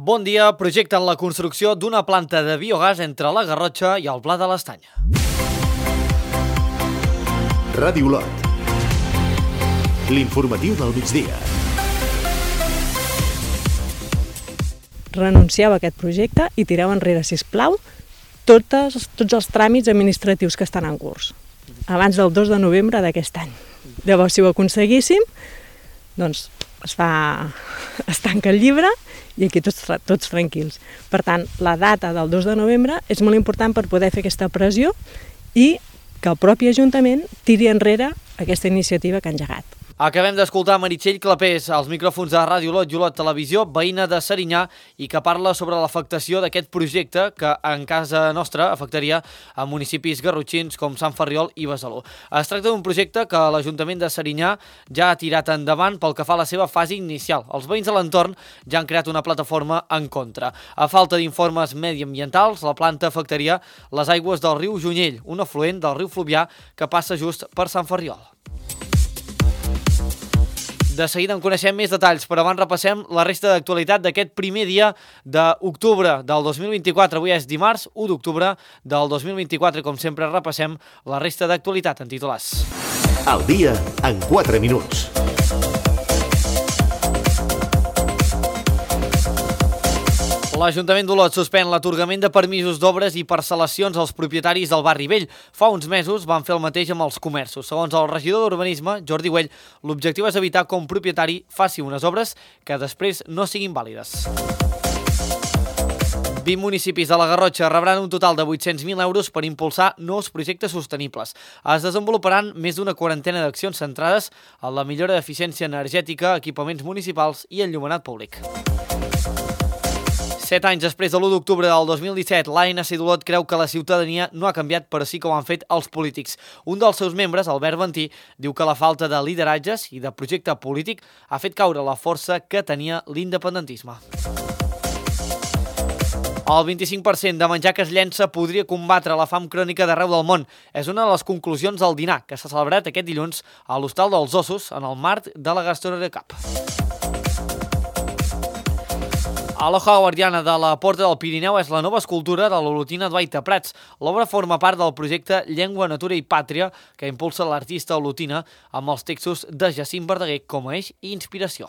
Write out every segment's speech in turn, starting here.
Bon dia, projecten la construcció d'una planta de biogàs entre la Garrotxa i el Pla de l'Estany. Ràdio Lot. L'informatiu del migdia. Renuncieu a aquest projecte i tireu enrere, sisplau, tots els tràmits administratius que estan en curs, abans del 2 de novembre d'aquest any. Llavors, si ho aconseguíssim, doncs es tanca el llibre i aquí tots tranquils. Per tant, la data del 2 de novembre és molt important per poder fer aquesta pressió i que el propi Ajuntament tiri enrere aquesta iniciativa que ha engegat. Acabem d'escoltar Meritxell Clapés als micròfons de Ràdio Lot i Olot Televisió, veïna de Serinyà, i que parla sobre l'afectació d'aquest projecte que en casa nostra afectaria a municipis garrotxins com Sant Ferriol i Besalú. Es tracta d'un projecte que l'Ajuntament de Serinyà ja ha tirat endavant pel que fa a la seva fase inicial. Els veïns de l'entorn ja han creat una plataforma en contra. A falta d'informes mediambientals, la planta afectaria les aigües del riu Junyell, un afluent del riu Fluvià que passa just per Sant Ferriol. De seguida en coneixem més detalls, però abans repassem la resta d'actualitat d'aquest primer dia d'octubre del 2024. Avui és dimarts, 1 d'octubre del 2024 i com sempre repassem la resta d'actualitat en titulars. Al dia en 4 minuts. L'Ajuntament d'Olot suspèn l'atorgament de permisos d'obres i parcel·lacions als propietaris del barri vell. Fa uns mesos van fer el mateix amb els comerços. Segons el regidor d'Urbanisme, Jordi Güell, l'objectiu és evitar que un propietari faci unes obres que després no siguin vàlides. 20 municipis de la Garrotxa rebran un total de 800.000 euros per impulsar nous projectes sostenibles. Es desenvoluparan més d'una quarantena d'accions centrades en la millora d'eficiència energètica, equipaments municipals i enllumenat públic. 7 anys després de l'1 d'octubre del 2017, l'ANC d'Olot creu que la ciutadania no ha canviat, però sí que ho han fet els polítics. Un dels seus membres, Albert Ventí, diu que la falta de lideratges i de projecte polític ha fet caure la força que tenia l'independentisme. El 25% de menjar que es llença podria combatre la fam crònica d'arreu del món. És una de les conclusions del dinar que s'ha celebrat aquest dilluns a l'Hostal dels Ossos en el marc de la Gastrorecup. A l'Hoja Guardiana de la Porta del Pirineu és la nova escultura de l'olotina Dwaita Prats. L'obra forma part del projecte Llengua, Natura i Pàtria que impulsa l'artista olotina amb els textos de Jacint Verdaguer com a eix i inspiració.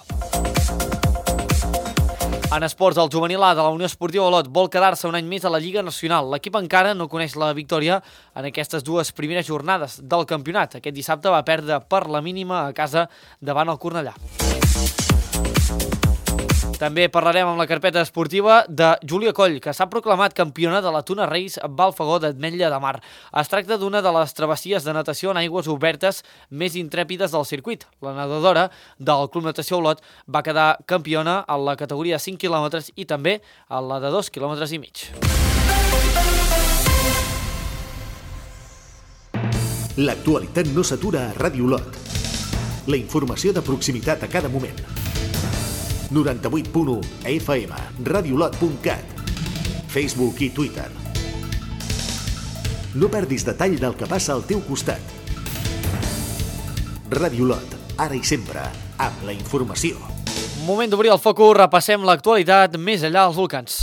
En esports, el juvenil A de la Unió Esportiva Olot vol quedar-se un any més a la Lliga Nacional. L'equip encara no coneix la victòria en aquestes dues primeres jornades del campionat. Aquest dissabte va perdre per la mínima a casa davant el Cornellà. També parlarem amb la carpeta esportiva de Júlia Coll, que s'ha proclamat campiona de la Tuna Reis Balfagó d'Ametlla de Mar. Es tracta d'una de les travessies de natació en aigües obertes més intrèpides del circuit. La nedadora del Club Natació Olot va quedar campiona en la categoria 5 quilòmetres i també en la de 2 quilòmetres i mig. L'actualitat no s'atura a Ràdio Lot. La informació de proximitat a cada moment. 98.1 FM, radiolot.cat, Facebook i Twitter. No perdis detall del que passa al teu costat. Ràdio Lot, ara i sempre, amb la informació. Moment d'obrir el focus, repassem l'actualitat més enllà dels volcans.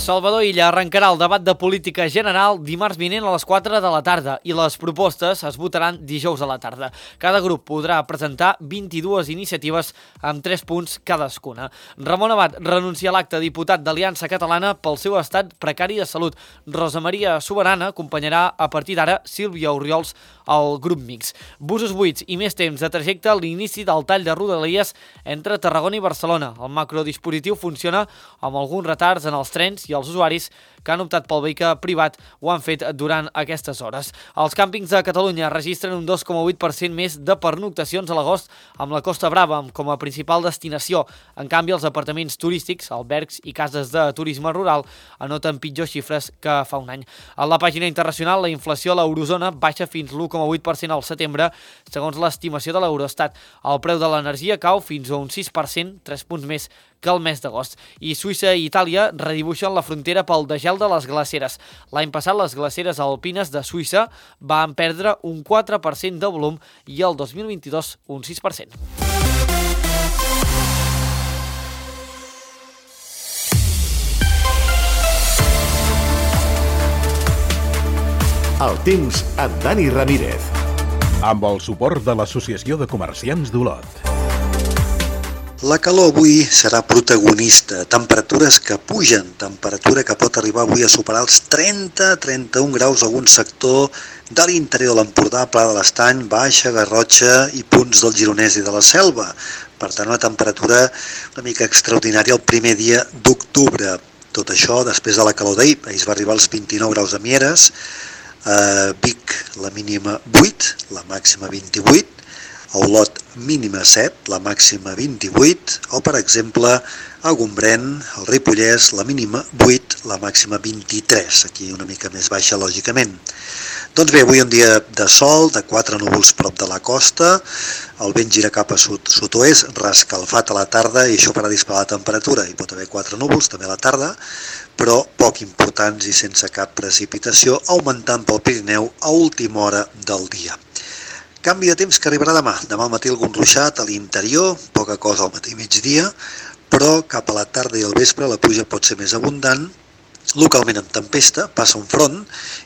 Salvador Illa arrencarà el debat de política general dimarts vinent a les 4 de la tarda i les propostes es votaran dijous a la tarda. Cada grup podrà presentar 22 iniciatives amb 3 punts cadascuna. Ramon Abad renuncia a l'acte de diputat d'Aliança Catalana pel seu estat precari de salut. Rosa Maria Soberana acompanyarà a partir d'ara Sílvia Orriols al grup mix. Busos buits i més temps de trajecte a l'inici del tall de Rodalies entre Tarragona i Barcelona. El macrodispositiu funciona amb alguns retards en els trens i els usuaris que han optat pel vehicle privat ho han fet durant aquestes hores. Els càmpings de Catalunya registren un 2,8% més de pernoctacions a l'agost amb la Costa Brava com a principal destinació. En canvi, els apartaments turístics, albergs i cases de turisme rural anoten pitjors xifres que fa un any. A la pàgina internacional, la inflació a l'eurozona baixa fins l'1,8% al setembre, segons l'estimació de l'Eurostat. El preu de l'energia cau fins a un 6%, 3 punts més que el mes d'agost. I Suïssa i Itàlia redibuixen la frontera pel degel de les glaceres. L'any passat les glaceres alpines de Suïssa van perdre un 4% de volum i el 2022 un 6%. El temps amb Dani Ramírez. Amb el suport de l'Associació de Comerciants d'Olot. La calor avui serà protagonista, temperatures que pugen, temperatura que pot arribar avui a superar els 30-31 graus a algun sector de l'interior de l'Empordà, Pla de l'Estany, Baixa, Garrotxa i punts del Gironès i de la Selva. Per tant, una temperatura una mica extraordinària el primer dia d'octubre. Tot això després de la calor d'ahir. Ahir es va arribar als 29 graus a Mieres, a Vic la mínima 8, la màxima 28, a Olot mínima 7, la màxima 28, o per exemple a Gombrèn, al Ripollès, la mínima 8, la màxima 23, aquí una mica més baixa lògicament. Doncs bé, avui un dia de sol, de 4 núvols prop de la costa, el vent gira cap a sud-oest, rescalfat a la tarda i això farà disparar la temperatura. Hi pot haver 4 núvols també a la tarda, però poc importants i sense cap precipitació, augmentant pel Pirineu a última hora del dia. Canvi de temps que arribarà demà. Demà al matí algun ruixat a l'interior, poca cosa al matí i migdia, però cap a la tarda i al vespre la pluja pot ser més abundant, localment amb tempesta, passa un front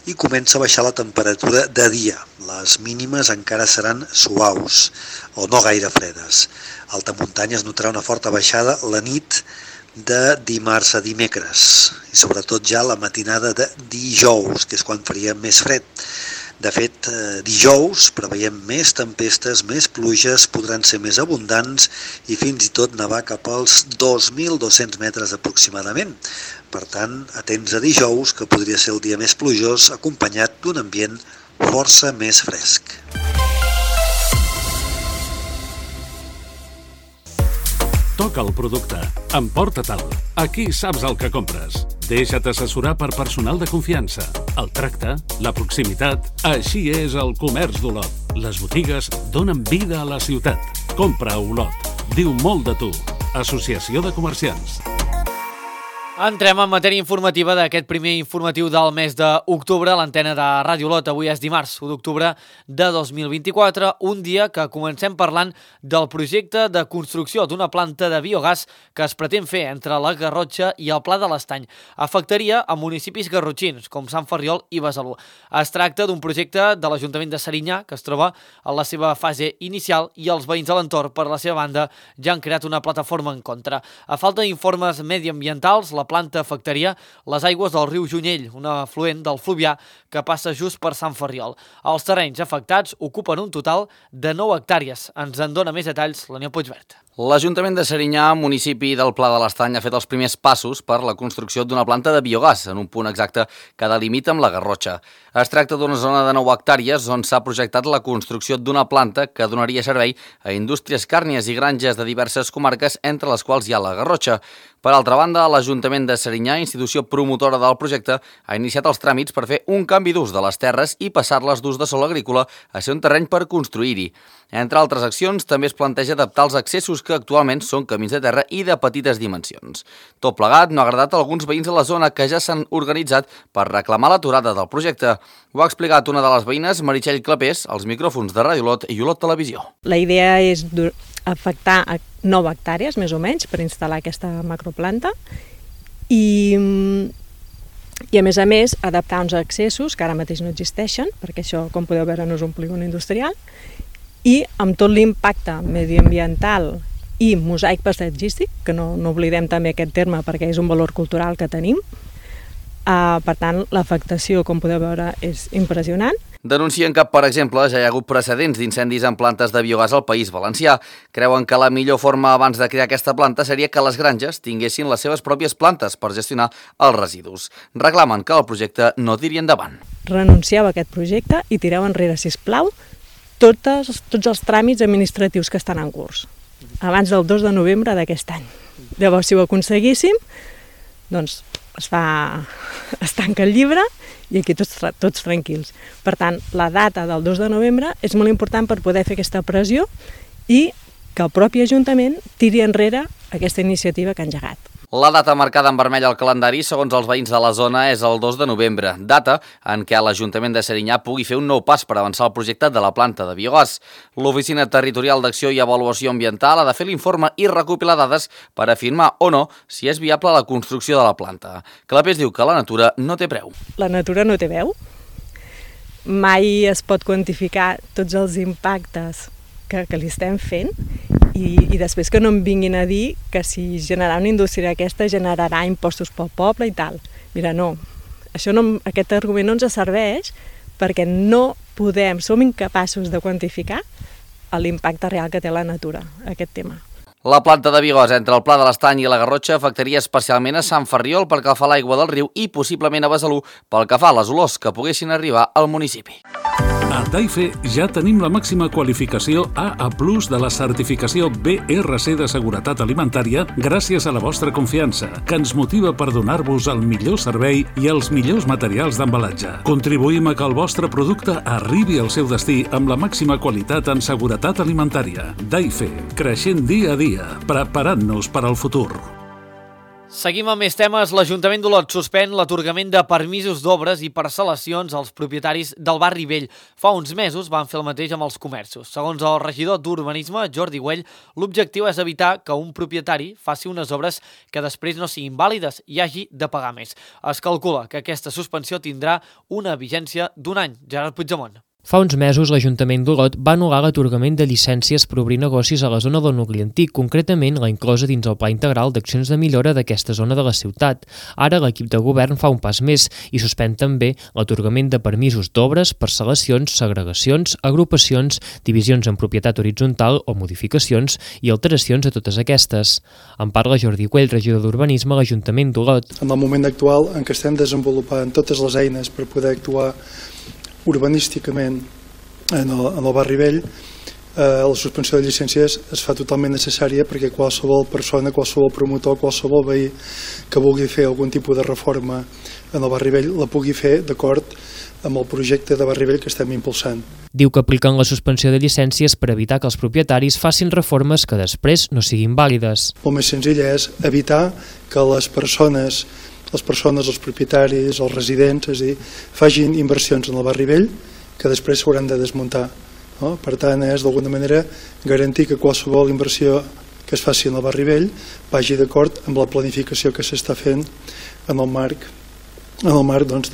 i comença a baixar la temperatura de dia. Les mínimes encara seran suaus o no gaire fredes. A alta muntanya es notarà una forta baixada la nit de dimarts a dimecres i sobretot ja la matinada de dijous, que és quan faria més fred. De fet, dijous preveiem més tempestes, més pluges, podran ser més abundants i fins i tot nevar cap als 2.200 metres aproximadament. Per tant, atents a dijous, que podria ser el dia més plujós, acompanyat d'un ambient força més fresc. Toca el producte, emporta-te'l. Aquí saps el que compres. Deixa't assessorar per personal de confiança. El tracte, la proximitat, així és el comerç d'Olot. Les botigues donen vida a la ciutat. Compra a Olot. Diu molt de tu. Associació de Comerciants. Entrem en matèria informativa d'aquest primer informatiu del mes d'octubre a l'antena de Ràdio Olot. Avui és dimarts, 1 d'octubre de 2024, un dia que comencem parlant del projecte de construcció d'una planta de biogàs que es pretén fer entre la Garrotxa i el Pla de l'Estany. Afectaria a municipis garrotxins, com Sant Ferriol i Besalú. Es tracta d'un projecte de l'Ajuntament de Serinyà, que es troba en la seva fase inicial, i els veïns de l'entorn, per la seva banda, ja han creat una plataforma en contra. A falta d'informes mediambientals, la planta afectaria les aigües del riu Junyell, un afluent del Fluvià que passa just per Sant Ferriol. Els terrenys afectats ocupen un total de 9 hectàrees. Ens en dona més detalls l'Aniol Puigvert. L'Ajuntament de Serinyà, municipi del Pla de l'Estany, ha fet els primers passos per la construcció d'una planta de biogàs en un punt exacte que delimita amb la Garrotxa. Es tracta d'una zona de 9 hectàrees on s'ha projectat la construcció d'una planta que donaria servei a indústries càrnies i granges de diverses comarques, entre les quals hi ha la Garrotxa. Per altra banda, l'Ajuntament de Serinyà, institució promotora del projecte, ha iniciat els tràmits per fer un canvi d'ús de les terres i passar-les d'ús de sòl agrícola a ser un terreny per construir-hi. Entre altres accions, també es planteja adaptar els accessos que actualment són camins de terra i de petites dimensions. Tot plegat no ha agradat a alguns veïns de la zona que ja s'han organitzat per reclamar l'aturada del projecte. Ho ha explicat una de les veïnes, Meritxell Clapés, als micròfons de Ràdio Olot i Olot Televisió. La idea és afectar a 9 hectàrees, més o menys, per instal·lar aquesta macroplanta i a més, adaptar uns accessos que ara mateix no existeixen, perquè això, com podeu veure, no és un polígon industrial, i amb tot l'impacte mediambiental i mosaic paisatgístic, que no oblidem també aquest terme perquè és un valor cultural que tenim. Per tant, l'afectació, com podeu veure, és impressionant. Denuncien que, per exemple, ja hi ha hagut precedents d'incendis en plantes de biogàs al País Valencià. Creuen que la millor forma abans de crear aquesta planta seria que les granges tinguessin les seves pròpies plantes per gestionar els residus. Reclamen que el projecte no tiri endavant. Renuncieu a aquest projecte i tireu enrere, sisplau, tots els tràmits administratius que estan en curs, abans del 2 de novembre d'aquest any. Llavors, si ho aconseguíssim, doncs es tanca el llibre i aquí tots tranquils. Per tant, la data del 2 de novembre és molt important per poder fer aquesta pressió i que el propi Ajuntament tiri enrere aquesta iniciativa que ha engegat. La data marcada en vermell al calendari, segons els veïns de la zona, és el 2 de novembre, data en què l'Ajuntament de Serinyà pugui fer un nou pas per avançar el projecte de la planta de biogàs. L'Oficina Territorial d'Acció i Avaluació Ambiental ha de fer l'informe i recopilar dades per afirmar o no si és viable la construcció de la planta. Clapés diu que la natura no té preu. La natura no té veu. Mai es pot quantificar tots els impactes que li estem fent i després que no em vinguin a dir que si generar una indústria aquesta generarà impostos pel poble i tal. Mira, no, aquest argument no ens serveix perquè no podem, som incapaços de quantificar l'impacte real que té la natura, aquest tema. La planta de biogàs entre el Pla de l'Estany i la Garrotxa afectaria especialment a Sant Ferriol pel que fa a l'aigua del riu i possiblement a Besalú pel que fa a les olors que poguessin arribar al municipi. A Taife ja tenim la màxima qualificació AA+ de la certificació BRC de seguretat alimentària gràcies a la vostra confiança, que ens motiva per donar-vos el millor servei i els millors materials d'embalatge. Contribuïm a que el vostre producte arribi al seu destí amb la màxima qualitat en seguretat alimentària. Taife, creixent dia a dia, preparant-nos per al futur. Seguim amb més temes. L'Ajuntament d'Olot suspèn l'atorgament de permisos d'obres i parcel·lacions als propietaris del barri vell. Fa uns mesos van fer el mateix amb els comerços. Segons el regidor d'Urbanisme, Jordi Güell, l'objectiu és evitar que un propietari faci unes obres que després no siguin vàlides i hagi de pagar més. Es calcula que aquesta suspensió tindrà una vigència d'un any. Gerard Puigdemont. Fa uns mesos, l'Ajuntament d'Olot va anul·lar l'atorgament de llicències per obrir negocis a la zona del nucli antic, concretament la inclosa dins el Pla Integral d'Accions de Millora d'aquesta zona de la ciutat. Ara, l'equip de govern fa un pas més i suspèn també l'atorgament de permisos d'obres, parcel·lacions, segregacions, agrupacions, divisions en propietat horitzontal o modificacions i alteracions a totes aquestes. En parla Jordi Güell, regidor d'Urbanisme a l'Ajuntament d'Olot. En el moment actual en què estem desenvolupant totes les eines per poder actuar urbanísticament en el barri vell, la suspensió de llicències es fa totalment necessària perquè qualsevol persona, qualsevol promotor, qualsevol veí que vulgui fer algun tipus de reforma en el barri vell la pugui fer d'acord amb el projecte de barri vell que estem impulsant. Diu que apliquen la suspensió de llicències per evitar que els propietaris facin reformes que després no siguin vàlides. El més senzill és evitar que les persones, els propietaris, els residents, és a dir, facin inversions en el barri vell que després s'hauran de desmuntar. No? Per tant, és d'alguna manera garantir que qualsevol inversió que es faci en el barri vell vagi d'acord amb la planificació que s'està fent en el marc doncs,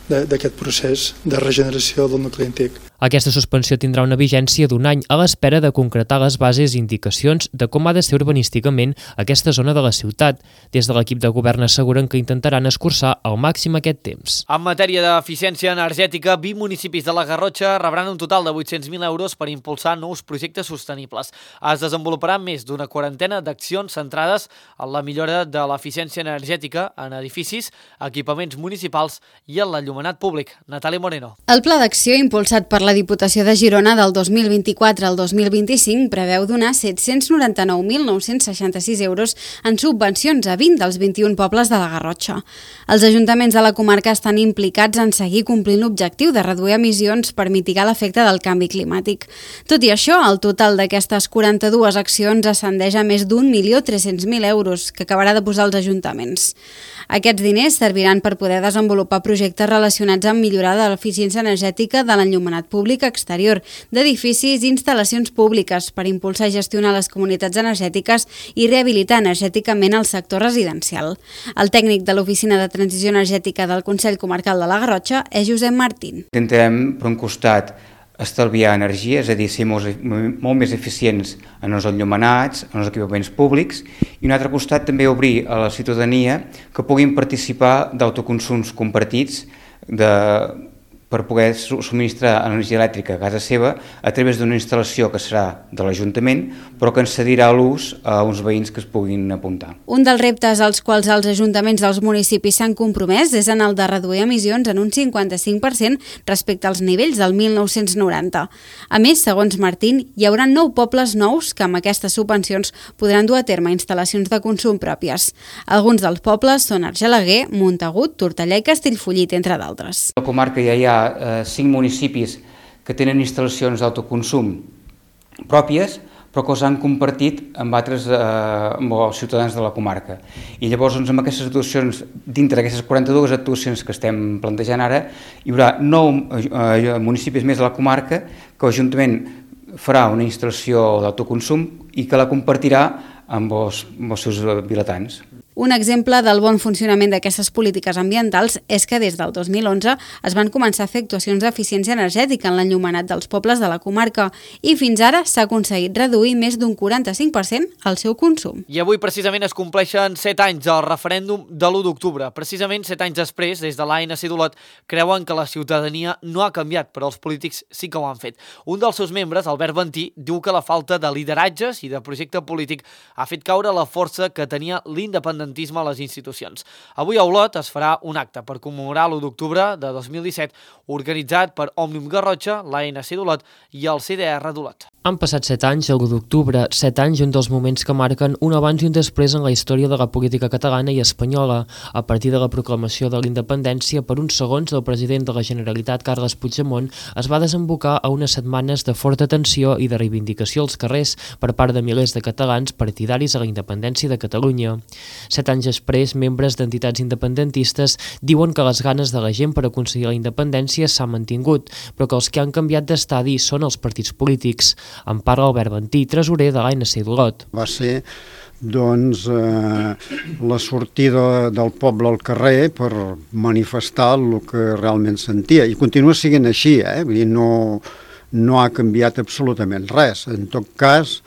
d'aquest procés de regeneració del nucli antic. Aquesta suspensió tindrà una vigència d'un any a l'espera de concretar les bases i indicacions de com ha de ser urbanísticament aquesta zona de la ciutat. Des de l'equip de govern asseguren que intentaran escurçar al màxim aquest temps. En matèria d'eficiència energètica, 20 municipis de la Garrotxa rebran un total de 800.000 euros per impulsar nous projectes sostenibles. Es desenvoluparan més d'una quarantena d'accions centrades en la millora de l'eficiència energètica en edificis, equipaments municipals i en l'enllumenat públic. Natàlia Moreno. El pla d'acció impulsat per la Diputació de Girona del 2024 al 2025 preveu donar 799.966 euros en subvencions a 20 dels 21 pobles de la Garrotxa. Els ajuntaments de la comarca estan implicats en seguir complint l'objectiu de reduir emissions per mitigar l'efecte del canvi climàtic. Tot i això, el total d'aquestes 42 accions ascendeix a més d'1.300.000 euros que acabarà de posar els ajuntaments. Aquests diners serviran per poder desenvolupar projectes relacionats amb millorar l'eficiència energètica de l'enllumenat públic exterior, d'edificis i instal·lacions públiques per impulsar i gestionar les comunitats energètiques i rehabilitar energèticament el sector residencial. El tècnic de l'Oficina de Transició Energètica del Consell Comarcal de la Garrotxa és Josep Martín. Intentem, per un costat, estalviar energia, és a dir, ser molt més eficients en els enllumenats, en els equipaments públics, i un altre costat també obrir a la ciutadania que puguin participar d'autoconsums compartits per poder subministrar energia elèctrica a casa seva a través d'una instal·lació que serà de l'Ajuntament, però que en cedirà l'ús a uns veïns que es puguin apuntar. Un dels reptes als quals els ajuntaments dels municipis s'han compromès és en el de reduir emissions en un 55% respecte als nivells del 1990. A més, segons Martín, hi haurà 9 pobles nous que amb aquestes subvencions podran dur a terme instal·lacions de consum pròpies. Alguns dels pobles són Argelaguer, Montagut, Tortellà i Castellfollit, entre d'altres. A la comarca ja hi ha 5 municipis que tenen instal·lacions d'autoconsum pròpies, però que els han compartit amb altres amb els ciutadans de la comarca. I llavors, amb aquestes actuacions, dintre d'aquestes 42 actuacions que estem plantejant ara, hi haurà 9 municipis més de la comarca que l'Ajuntament farà una instal·lació d'autoconsum i que la compartirà amb els seus vilatans. Un exemple del bon funcionament d'aquestes polítiques ambientals és que des del 2011 es van començar a fer actuacions d'eficiència energètica en l'enllumenat dels pobles de la comarca i fins ara s'ha aconseguit reduir més d'un 45% el seu consum. I avui precisament es compleixen 7 anys del referèndum de l'1 d'octubre. Precisament 7 anys després, des de l'ANC d'Olot, creuen que la ciutadania no ha canviat, però els polítics sí que ho han fet. Un dels seus membres, Albert Ventí, diu que la falta de lideratges i de projecte polític ha fet caure la força que tenia l'independentisme a les institucions. Avui a Olot es farà un acte per commemorar l'1 d'octubre de 2017 organitzat per Òmnium Garrotxa, l'ANC d'Olot i el CDR d'Olot. Han passat 7 anys, el 1 d'octubre, 7 anys, un dels moments que marquen un abans i un després en la història de la política catalana i espanyola. A partir de la proclamació de la independència, per uns segons, el president de la Generalitat, Carles Puigdemont, es va desembocar a unes setmanes de forta tensió i de reivindicació als carrers per part de milers de catalans partidaris a la independència de Catalunya. 7 anys després, membres d'entitats independentistes diuen que les ganes de la gent per aconseguir la independència s'han mantingut, però que els que han canviat d'estadi són els partits polítics. En parla Albert Ventí, tresorer de l'ANC d'Olot. Va ser la sortida del poble al carrer per manifestar el que realment sentia. I continua sent així, Vull dir, no ha canviat absolutament res. En tot cas,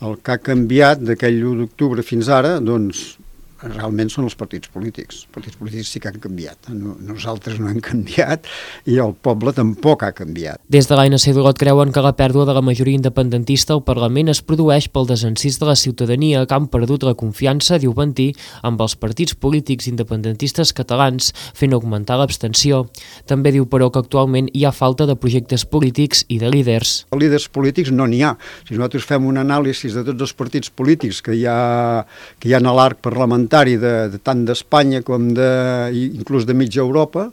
el que ha canviat d'aquell 1 d'octubre fins ara, doncs, realment són els partits polítics. Els partits polítics sí que han canviat. Nosaltres no hem canviat i el poble tampoc ha canviat. Des de l'ANC d'Olot creuen que la pèrdua de la majoria independentista al Parlament es produeix pel desencís de la ciutadania que han perdut la confiança, diu Ventí, amb els partits polítics independentistes catalans, fent augmentar l'abstenció. També diu, però, que actualment hi ha falta de projectes polítics i de líders. Líders polítics no n'hi ha. Si nosaltres fem un anàlisi de tots els partits polítics que hi ha a l'arc parlamentari tant d'Espanya com inclús de mitja Europa,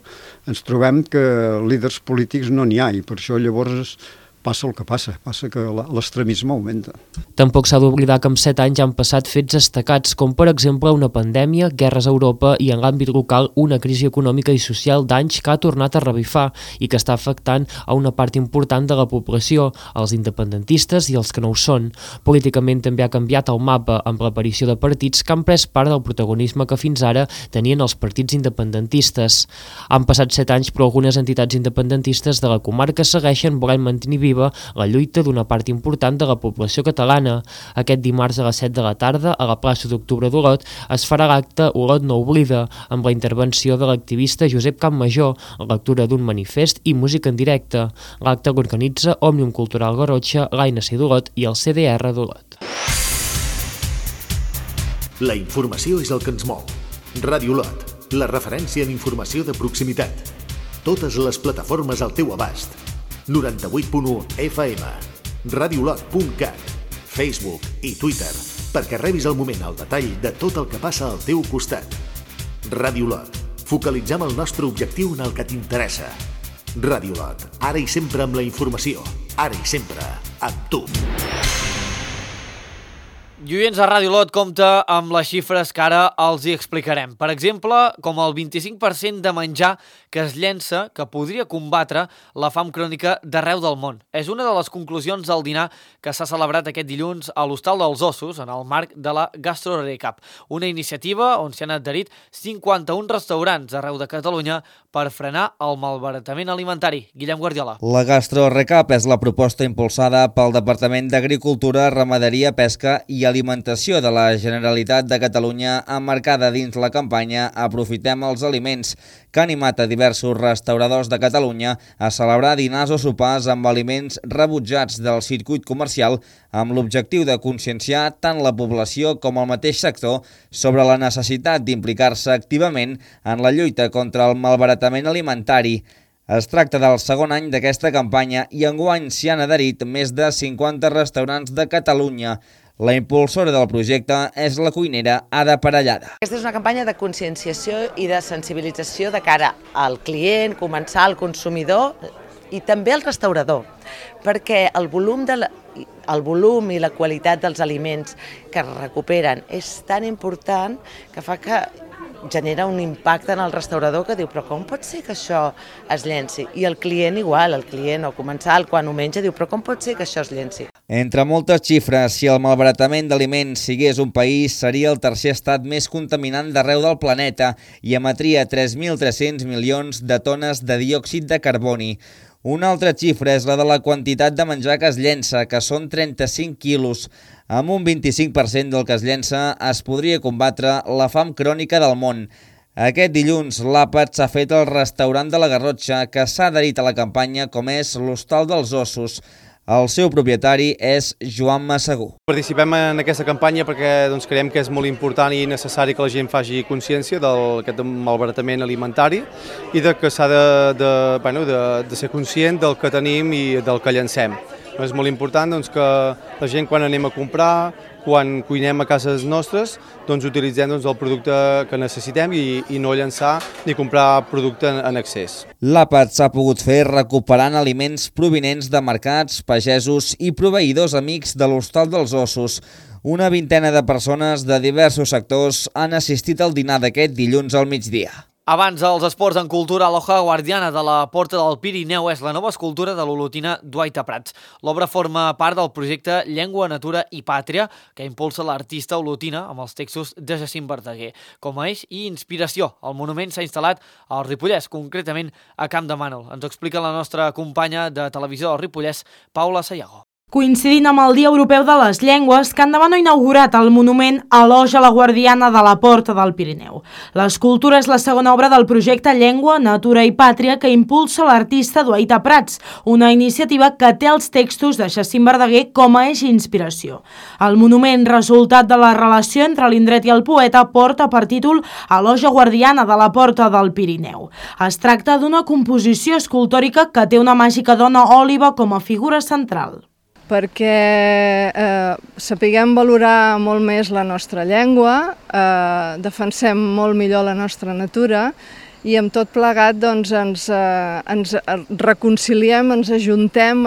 ens trobem que líders polítics no n'hi ha i per això llavors passa el que passa que l'extremisme augmenta. Tampoc s'ha d'oblidar que en 7 anys han passat fets destacats, com per exemple una pandèmia, guerres a Europa i en l'àmbit local una crisi econòmica i social d'anys que ha tornat a revifar i que està afectant a una part important de la població, els independentistes i els que no ho són. Políticament també ha canviat el mapa amb l'aparició de partits que han pres part del protagonisme que fins ara tenien els partits independentistes. Han passat 7 anys, però algunes entitats independentistes de la comarca segueixen volent mantenir viva la lluita d'una part important de la població catalana. Aquest dimarts a les 7 de la tarda, a la plaça d'Octubre d'Olot, es farà l'acte Olot no oblida, amb la intervenció de l'activista Josep Campmajor, lectura d'un manifest i música en directe. L'acte l'organitza Òmnium Cultural Garrotxa, l'ANC d'Olot i el CDR d'Olot. La informació és el que ens mou. Ràdio Olot, la referència en informació de proximitat. Totes les plataformes al teu abast. 98.1 FM, radiolot.cat, Facebook i Twitter, perquè rebis al moment el detall de tot el que passa al teu costat. Ràdio Olot, focalitzem el nostre objectiu en el que t'interessa. Ràdio Olot, ara i sempre amb la informació, ara i sempre amb tu. I oients de Ràdio Olot compta amb les xifres que ara els hi explicarem. Per exemple, com el 25% de menjar que es llença que podria combatre la fam crònica d'arreu del món. És una de les conclusions del dinar que s'ha celebrat aquest dilluns a l'Hostal dels Ossos en el marc de la Gastro Recap, una iniciativa on s'hi han adherit 51 restaurants arreu de Catalunya per frenar el malbaratament alimentari. Guillem Guardiola. La Gastro Recap és la proposta impulsada pel Departament d'Agricultura, Ramaderia, Pesca i Alimentació de la Generalitat de Catalunya, emmarcada dins la campanya Aprofitem els aliments, que ha animat a diversos restauradors de Catalunya a celebrar dinars o sopars amb aliments rebutjats del circuit comercial amb l'objectiu de conscienciar tant la població com el mateix sector sobre la necessitat d'implicar-se activament en la lluita contra el malbaratament alimentari. Es tracta del segon any d'aquesta campanya i enguany s'hi han adherit més de 50 restaurants de Catalunya. La impulsora del projecte és la cuinera Ada Parellada. Aquesta és una campanya de conscienciació i de sensibilització de cara al client, comensal, al consumidor i també al restaurador, perquè el volum el volum i la qualitat dels aliments que es recuperen és tan important que fa que genera un impacte en el restaurador que diu però com pot ser que això es llenci? I el client igual, el client o comensal quan ho menja diu però com pot ser que això es llenci? Entre moltes xifres, si el malbaratament d'aliments sigués un país, seria el tercer estat més contaminant d'arreu del planeta i emetria 3.300 milions de tones de diòxid de carboni. Una altra xifra és la de la quantitat de menjar que es llença, que són 35 quilos. Amb un 25% del que es llença es podria combatre la fam crònica del món. Aquest dilluns l'àpat s'ha fet al restaurant de la Garrotxa, que s'ha adherit a la campanya com és l'Hostal dels Ossos. El seu propietari és Joan Massagú. Participem en aquesta campanya perquè creiem que és molt important i necessari que la gent faci consciència d'aquest malbaratament alimentari i que s'ha de ser conscient del que tenim i del que llancem. És molt important que la gent quan anem a comprar, quan cuinem a cases nostres, utilitzem el producte que necessitem i no llançar ni comprar producte en excés. L'àpat s'ha pogut fer recuperant aliments provinents de mercats, pagesos i proveïdors amics de l'Hostal dels Ossos. Una vintena de persones de diversos sectors han assistit al dinar d'aquest dilluns al migdia. Abans dels esports en cultura, l'Hoja Guardiana de la Porta del Pirineu és la nova escultura de l'olotina Duaita Prats. L'obra forma part del projecte Llengua, Natura i Pàtria, que impulsa l'artista olotina amb els textos de Jacint Verdaguer. Com a eix i inspiració, el monument s'ha instal·lat al Ripollès, concretament a Camp de Mànol. Ens ho explica la nostra companya de televisió del Ripollès, Paula Sayago. Coincidint amb el Dia Europeu de les Llengües, Camp de Mànol ha inaugurat el monument Eloge la Guardiana de la Porta del Pirineu. L'escultura és la segona obra del projecte Llengua, Natura i Pàtria que impulsa l'artista Duaita Prats, una iniciativa que té els textos de Jacint Verdaguer com a eix d'inspiració. El monument, resultat de la relació entre l'indret i el poeta, porta per títol Eloge Guardiana de la Porta del Pirineu. Es tracta d'una composició escultòrica que té una màgica dona òliba com a figura central. Perquè sapiguem valorar molt més la nostra llengua, defensem molt millor la nostra natura i amb tot plegat ens reconciliem, ens ajuntem,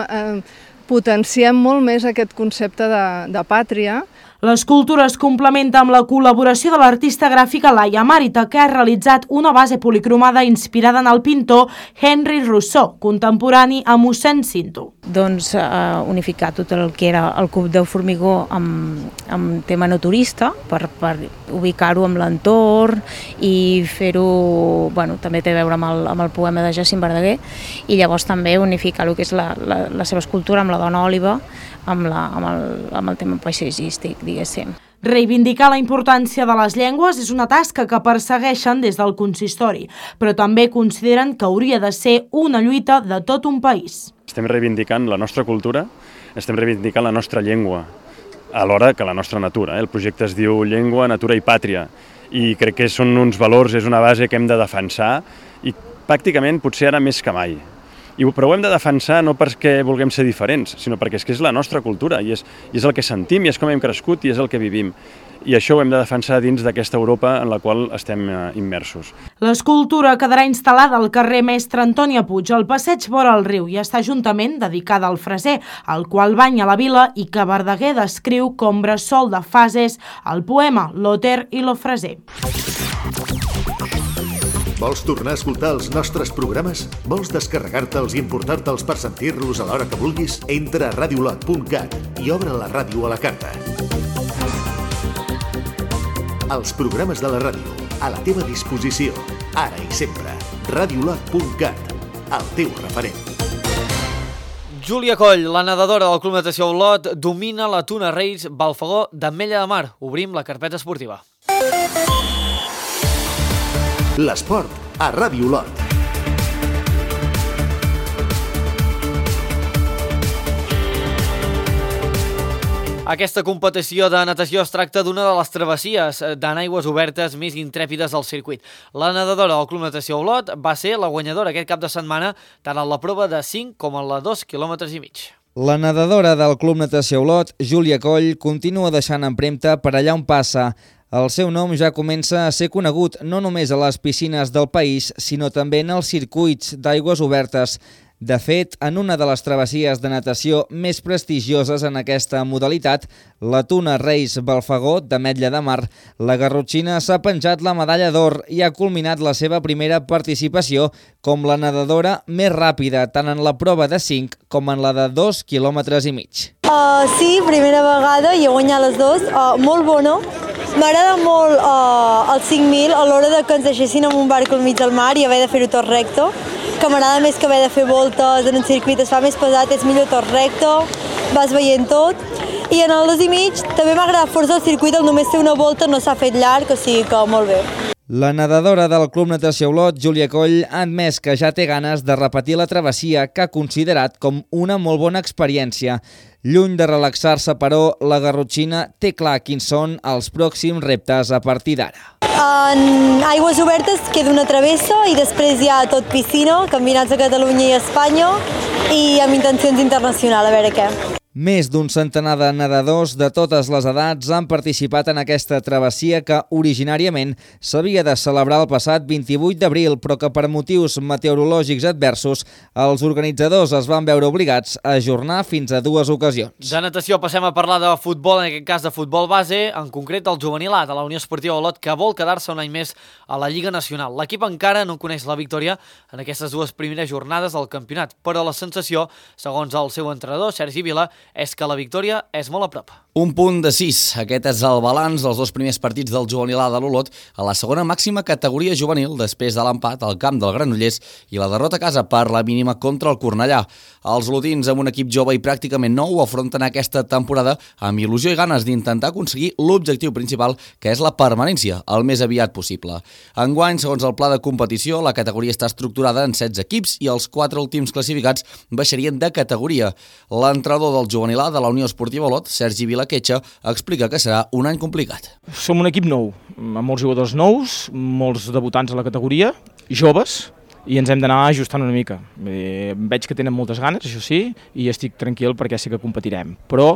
potenciem molt més aquest concepte de pàtria. L'escultura es complementa amb la col·laboració de l'artista gràfica Laia Marita, que ha realitzat una base policromada inspirada en el pintor Henry Rousseau, contemporani a mossèn Cinto. Unificar tot el que era el cub de formigó amb tema naturista, per ubicar-ho amb l'entorn i fer-ho, també té a veure amb el poema de Jacint Verdaguer, i llavors també unificar el que és la seva escultura amb la dona òliba, amb el tema paisatgístic, diguéssim. Reivindicar la importància de les llengües és una tasca que persegueixen des del consistori, però també consideren que hauria de ser una lluita de tot un país. Estem reivindicant la nostra cultura, estem reivindicant la nostra llengua, alhora que la nostra natura. El projecte es diu Llengua, Natura i Pàtria, i crec que són uns valors, és una base que hem de defensar, i pràcticament potser ara més que mai. Però ho hem de defensar no perquè vulguem ser diferents, sinó perquè és la nostra cultura i és el que sentim i és com hem crescut i és el que vivim. I això ho hem de defensar dins d'aquesta Europa en la qual estem immersos. L'escultura quedarà instal·lada al carrer Mestre Antònia Puig, al passeig vora el riu, i està juntament dedicada al freser, el qual banya la vila i que Verdaguer descriu com bressol de fases al poema L'Oter i lo Freser. Vols tornar a escoltar els nostres programes? Vols descarregar-te'ls i importar-te'ls per sentir-los a l'hora que vulguis? Entra a radiolot.cat i obre la ràdio a la carta. Els programes de la ràdio, a la teva disposició, ara i sempre. Radiolot.cat, el teu referent. Júlia Coll, la nedadora del Club Natació Olot, domina la Tuna Reis Balfagó d'Ametlla de Mar. Obrim la carpeta esportiva. L'esport a Ràdio Olot. Aquesta competició de natació es tracta d'una de les travessies en aigües obertes més intrèpides del circuit. La nedadora del Club Natació Olot va ser la guanyadora aquest cap de setmana tant en la prova de 5 com en la 2,5 km. La nedadora del Club Natació Olot, Júlia Coll, continua deixant empremta per allà on passa. El seu nom ja comença a ser conegut no només a les piscines del país, sinó també en els circuits d'aigües obertes. De fet, en una de les travessies de natació més prestigioses en aquesta modalitat, la Tuna Reis Balfagó d'Ametlla de Mar, la garrotxina s'ha penjat la medalla d'or i ha culminat la seva primera participació com la nedadora més ràpida tant en la prova de 5 com en la de 2,5 quilòmetres. Sí, primera vegada i he guanyat les dues. Molt bona. M'agrada molt el 5.000 a l'hora de que ens deixessin en un barco al mig del mar i haver de fer-ho tot recte, que m'agrada més que haver de fer voltes en un circuit, es fa més pesat, és millor tot recte, vas veient tot. I en el 2,5 també m'agrada força el circuit, el només fer una volta no s'ha fet llarg, o sigui que molt bé. La nedadora del Club Natació Olot, Júlia Coll, ha admès que ja té ganes de repetir la travessia que ha considerat com una molt bona experiència. Lluny de relaxar-se, però, la garrotxina té clar quins són els pròxims reptes a partir d'ara. En aigües obertes queda una travessa i després hi ha tot piscina, campionats de Catalunya i Espanya i amb intencions internacionals, a veure què. Més d'un centenar de nedadors de totes les edats han participat en aquesta travessia que originàriament s'havia de celebrar el passat 28 d'abril, però que per motius meteorològics adversos els organitzadors es van veure obligats a ajornar fins a 2 ocasions. De natació passem a parlar de futbol, en aquest cas de futbol base, en concret el juvenil A de la Unió Esportiva Olot, que vol quedar-se un any més a la Lliga Nacional. L'equip encara no coneix la victòria en aquestes 2 primeres jornades del campionat, però la sensació, segons el seu entrenador, Sergi Vila, és que la victòria és molt a prop. Un punt de 6. Aquest és el balanç dels 2 primers partits del juvenil A de l'Olot a la segona màxima categoria juvenil després de l'empat al camp del Granollers i la derrota a casa per la mínima contra el Cornellà. Els olotins, amb un equip jove i pràcticament nou, afronten aquesta temporada amb il·lusió i ganes d'intentar aconseguir l'objectiu principal, que és la permanència, el més aviat possible. Enguany, segons el pla de competició, la categoria està estructurada en 16 equips i els 4 últims classificats baixarien de categoria. L'entrenador del juvenil A de la Unió Esportiva Olot, Sergi Vila, explica que serà un any complicat. Som un equip nou, amb molts jugadors nous, molts debutants a la categoria, joves, i ens hem d'anar ajustant una mica. Veig que tenen moltes ganes, això sí, i estic tranquil perquè sé que competirem. Però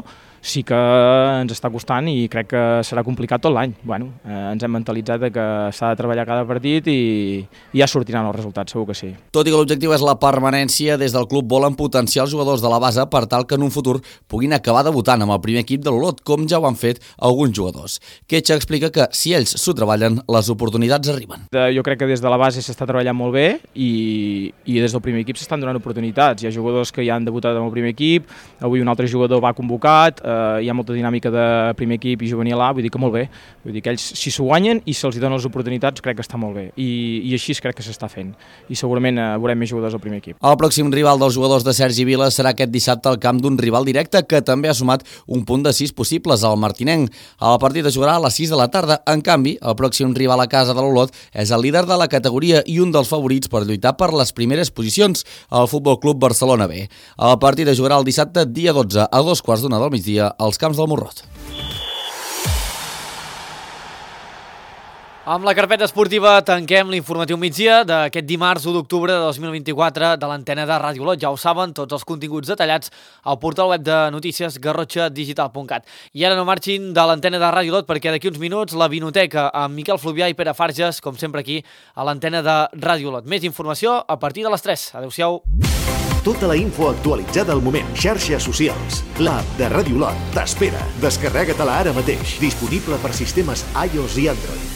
sí que ens està costant i crec que serà complicat tot l'any. Bueno, ens hem mentalitzat que s'ha de treballar cada partit i ja sortiran els resultats, segur que sí. Tot i que l'objectiu és la permanència, des del club volen potenciar els jugadors de la base per tal que en un futur puguin acabar debutant amb el primer equip de l'Olot, com ja ho han fet alguns jugadors. Quetxa explica que si ells s'ho treballen, les oportunitats arriben. Jo crec que des de la base s'està treballant molt bé i des del primer equip s'estan donant oportunitats. Hi ha jugadors que ja han debutat amb el primer equip, avui un altre jugador va convocat, hi ha molta dinàmica de primer equip i juvenil A, vull dir que molt bé. Vull dir que ells, si s'ho guanyen i se'ls donen les oportunitats, crec que està molt bé. I així crec que s'està fent. I segurament veurem més jugadors al primer equip. El pròxim rival dels jugadors de Sergi Vila serà aquest dissabte al camp d'un rival directe que també ha sumat un punt de 6 possibles, el Martinenc. El partit es jugarà a les 6 de la tarda. En canvi, el pròxim rival a casa de l'Olot és el líder de la categoria i un dels favorits per lluitar per les primeres posicions, el Futbol Club Barcelona B. El partit es jugarà el dissabte, dia 12, a 2:15 del migdia, als camps del Morrot. Amb la carpeta esportiva tanquem l'informatiu migdia d'aquest dimarts 1 d'octubre de 2024 de l'antena de Ràdio Olot. Ja ho saben, tots els continguts detallats al portal web de notícies garrotxadigital.cat. I ara no marxin de l'antena de Ràdio Olot perquè d'aquí uns minuts la Vinoteca amb Miquel Fluvià i Pere Farges, com sempre aquí a l'antena de Ràdio Olot. Més informació a partir de les 3. Adéu-siau. Tota la info actualitzada al moment. Xarxes socials. L'app de Ràdio Olot t'espera. Descarrega-te-la ara mateix. Disponible per sistemes iOS i Android.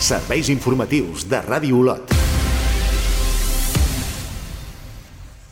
Serveis informatius de Ràdio Olot.